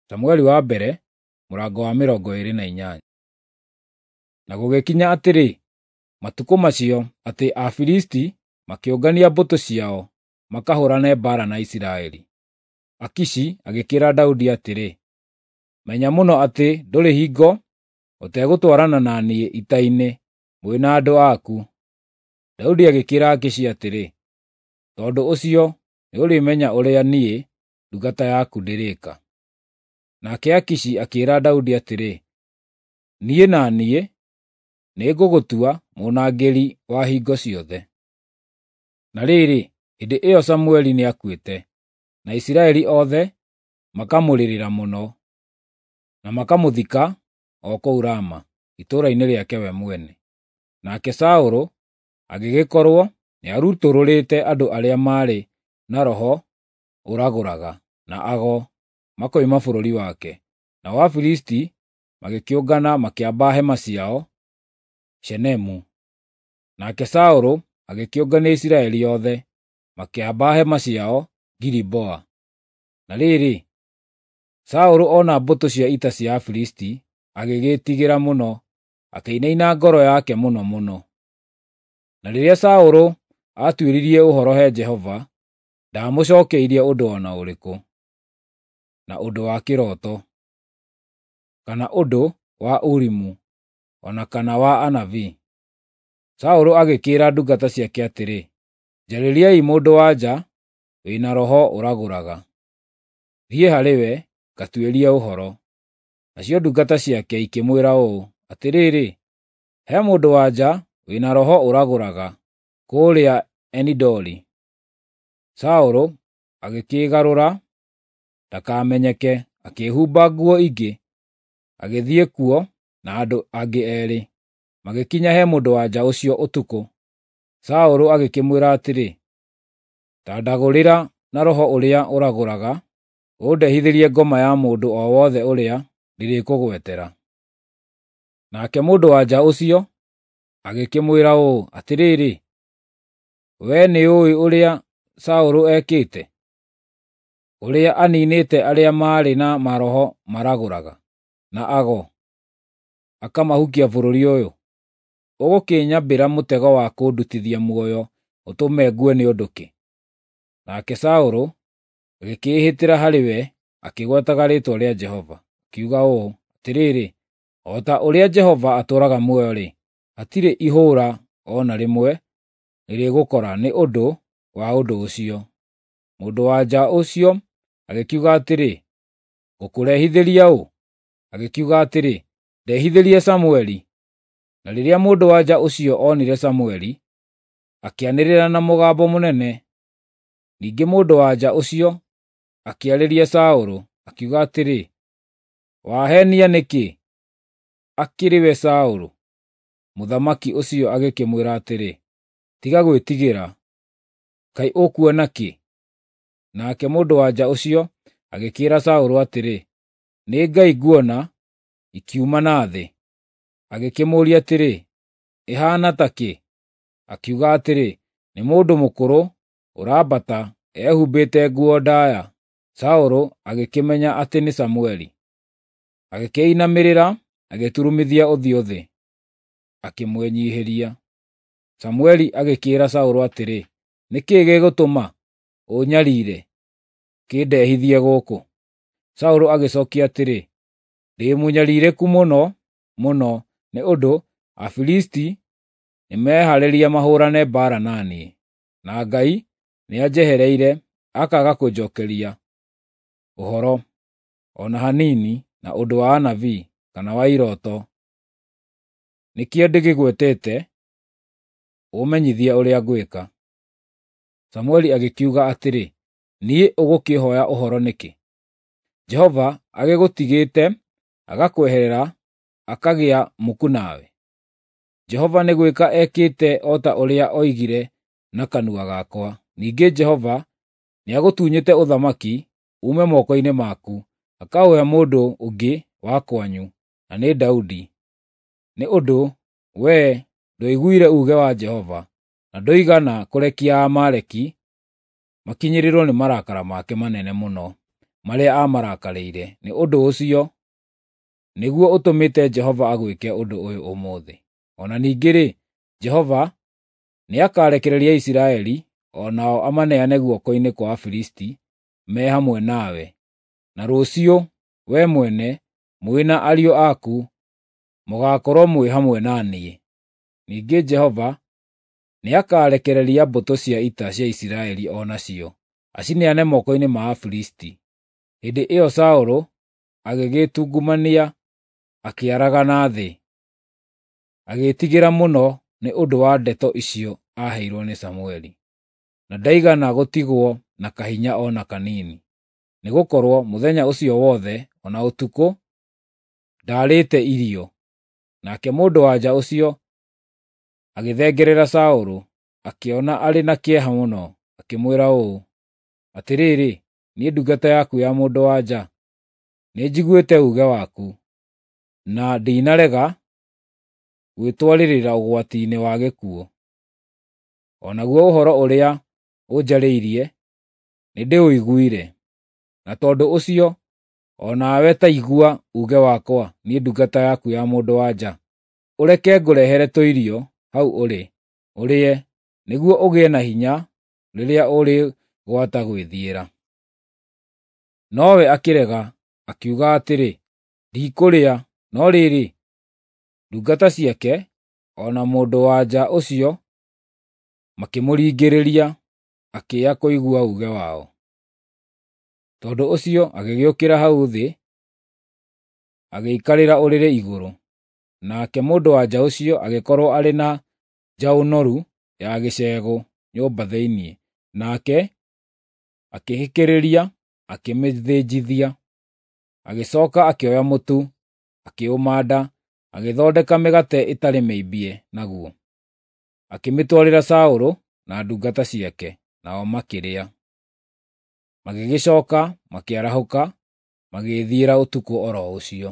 Samueli wa mbere mũrango wa 28. Na gũgĩkinya atĩrĩ, matukũ macio, atĩ Afilisti makĩũngania mbũtũ ciao makahũũrane mbaara na Isiraeli. Akishi agĩkĩĩra Daudi atĩrĩ, “Menya mũno atĩ ndũrĩ hingo ũtegũtwarana na niĩ ita-inĩ mwĩ na andũ aku.” Daudi agĩkĩĩra Akishi atĩrĩ, “Tondũ ũcio nĩũrĩmenya ũrĩa niĩ ndungata yaku ndĩrĩĩka.” Nake Akishi akĩĩra Daudi atĩrĩ, “Niĩ na niĩ nĩngũgũtua mũnangĩri wa hingo ciothe.” Na rĩrĩ, hĩndĩ ĩyo Samueli nĩakuĩte, na Isiraeli othe makamũrĩrĩra mũno, na makamũthika o kũu Rama, itũũra-inĩ rĩake we mwene. Nake Saũlũ agĩgĩkorwo nĩarutũrũrĩte andũ arĩa maarĩ na roho ũragũraga, na ago, makoima bũrũri wake. Nao Afilisti magĩkĩũngana makĩamba hema ciao Shunemu. Nake Saũlũ agĩkĩũngania Isiraeli othe, makĩamba hema ciao Giliboa. Na rĩrĩ, Saũlũ ona mbũtũ cia ita cia Afilisti, agĩgĩĩtigĩra mũno, akĩinaina ngoro yake mũno mũno. Na rĩrĩa Saũlũ aatuĩririe ũhoro he Jehova, ndaamũcookeirie ũndũ o na ũrĩkũ, na ũndũ wa kĩroto, kana ũndũ wa Urimu, o na kana wa anabii. Saũlũ agĩkĩĩra ndungata ciake atĩrĩ, “Njarĩriai mũndũ-wa-nja wĩ na roho ũragũraga, thiĩ harĩ we ngatuĩrie ũhoro.” Nacio ndungata ciake ikĩmwĩra ũũ, “Atĩrĩrĩ, he mũndũ-wa-nja wĩ na roho ũragũraga kũũrĩa Eni-Dori.” Saũlũ agĩkĩĩgarũra ndakamenyeke, akĩĩhumba nguo ingĩ, agĩthiĩ kuo na andũ angĩ eerĩ, magĩkinya he mũndũ-wa-nja ũcio ũtukũ. Saũlũ agĩkĩmwĩra atĩrĩ, “Ta ndagũrĩra na roho ũrĩa ũragũraga, ũndehithĩrie ngoma ya mũndũ o wothe ũrĩa ndĩrĩkũgwetera.” Nake mũndũ-wa-nja ũcio agĩkĩmwĩra ũũ, “Atĩrĩrĩ, wee nĩũũĩ ũrĩa Saũlũ ekĩte, ũrĩa aniinĩte arĩa maarĩ na maroho maragũraga, na ago, akamahukia bũrũri ũyũ. Ũgũkĩnyambĩra mũtego wa kũndutithia muoyo ũtũme ngue nĩ ũndũ kĩ?” Nake Saũlũ agĩkĩĩhĩtĩra harĩ we akĩgwetaga rĩĩtwa rĩa Jehova, akiuga ũũ, “Atĩrĩrĩ, o ta ũrĩa Jehova atũũraga muoyo-rĩ, hatirĩ ihũũra o na rĩmwe rĩrĩgũkora nĩ ũndũ wa ũndũ ũcio.” Mũndũ-wa-nja ũcio agĩkiuga atĩrĩ, “Ngũkũrehithĩria ũ?” Agĩkiuga atĩrĩ, “Ndehithĩrie Samueli.” Na rĩrĩa mũndũ-wa-nja ũcio onire Samueli, akĩanĩrĩra na mũgambo mũnene. Ningĩ mũndũ-wa-nja ũcio akĩarĩria Saũlũ, akiuga atĩrĩ, “Waheenia nĩkĩ? Akĩrĩ we Saũlũ?” Mũthamaki ũcio agĩkĩmwĩra atĩrĩ, “Tiga gwĩtigĩra. Kaĩ ũkuona kĩ?” Nake mũndũ-wa-nja ũcio agĩkĩĩra Saũlũ atĩrĩ, “Nĩ ngai nguona ikiuma na thĩ.” Agĩkĩmũũria atĩrĩ, “Ĩhaana ta kĩ?” Akiuga atĩrĩ, “Nĩ mũndũ mũkũrũ ũrambata ehumbĩte nguo ndaaya.” Saũlũ agĩkĩmenya atĩ nĩ Samueli. Agĩkĩinamĩrĩra agĩturumithia ũthiũ thĩ, akĩmwĩnyiihĩria. Samueli agĩkĩĩra Saũlũ atĩrĩ, “Nĩ kĩĩ gĩgũtũma ũũnyariire, ũkĩndehithie gũkũ?” Saũlũ agĩcookia atĩrĩ, “Ndĩ mũnyariirĩku mũno mũno nĩ ũndũ Afilisti nĩmehaarĩria mahũũrane mbaara na niĩ, na Ngai nĩanjehereire akaaga kũnjookeria ũhoro o na hanini na ũndũ wa anabii, kana wa irooto. Nĩkĩo ndĩgĩgwetete ũũmenyithie ũrĩa ngwĩka.” Samueli agĩkiuga atĩrĩ, “Niĩ ũgũkĩĩhooya ũhoro nĩkĩ? Jehova agĩgũtigĩte agakweherera akagĩa muku nawe. Jehova nĩ gwĩka ekĩte o ta ũrĩa oigire na kanua gakwa. Ningĩ Jehova nĩagũtunyĩte ũthamaki uume moko-inĩ maku, akaũhe mũndũ ũngĩ wa kwanyu, na nĩ Daudi. Nĩ ũndũ wee ndwaiguire uuge wa Jehova, na ndũigana kũrekia Aamaleki makinyĩrĩrwo nĩ marakara make manene mũno. marĩa aamarakarĩire, nĩ ũndũ ũcio nĩguo ũtũmĩte Jehova agwĩke ũndũ ũyũ ũmũthĩ. O na ningĩ-rĩ, Jehova nĩakarekereria Isiraeli o nao amaneane guoko-inĩ kwa Afilisti me hamwe nawe, na rũciũ wee mwene mwĩ na ariũ aku mũgaakorwo mwĩ hamwe na niĩ. Ningĩ Jehova nĩakarekereria mbũtũ cia ita cia Isiraeli o nacio, acineane moko-inĩ ma Afilisti. Hĩndĩ ĩyo Saũlũ agĩgĩĩtungumania akĩaragana thĩ, agĩĩtigĩra mũno nĩ ũndũ wa ndeto icio aaheirwo nĩ Samũeli. Na ndaigana gũtigwo na kahinya o na kanini, nĩgũkorwo mũthenya ũcio wothe o na ũtukũ ndaarĩte irio. Nake mũndũ-wa-nja ũcio agĩthengerera Saũlũ, akĩona arĩ na kĩeha mũno, akĩmwĩra ũũ, “Atĩrĩrĩ, niĩ ndungata yaku ya mũndũ-wa-nja, nĩnjiguĩte uuge waku, na ndinarega gwĩtwarĩrĩra ũgwati-inĩ wa gĩkuũ. O naguo ũhoro ũrĩa ũnjarĩirie nĩndĩũiguire, na tondũ ũcio o nawe ta igua uuge wakwa, niĩ ndungata yaku ya mũndũ-wa-nja. Ũreke ngũrehere tũirio hau ũrĩ, ũrĩe, nĩguo ũgĩe na hinya rĩrĩa ũrĩgwata gwĩthiĩra.” Nowe akĩrega, akiuga atĩrĩ, “Ndikũrĩa.” No rĩrĩ, ndungata ciake o na mũndũ-wa-nja ũcio makĩmũringĩrĩria, akĩya kũigua uuge wao. Tondũ ũcio agĩgĩũkĩra hau thĩ, agĩikarĩra ũrĩrĩ igũrũ. Nake mũndũ-wa-nja ũcio agĩkorwo arĩ na njaũ noru ya gĩcegũ nyũmba thĩinĩ, nake akĩhĩkĩrĩria akĩmĩthĩnjithia. Agĩcooka akĩoya mũtu, akĩũmanda, agĩthondeka mĩgate ĩtarĩ mĩimbie naguo. Akĩmĩtwarĩra Saũlũ na ndungata ciake, nao makĩrĩa. Magĩgĩcooka makĩarahũka, magĩĩthiĩra ũtukũ o ro ũcio.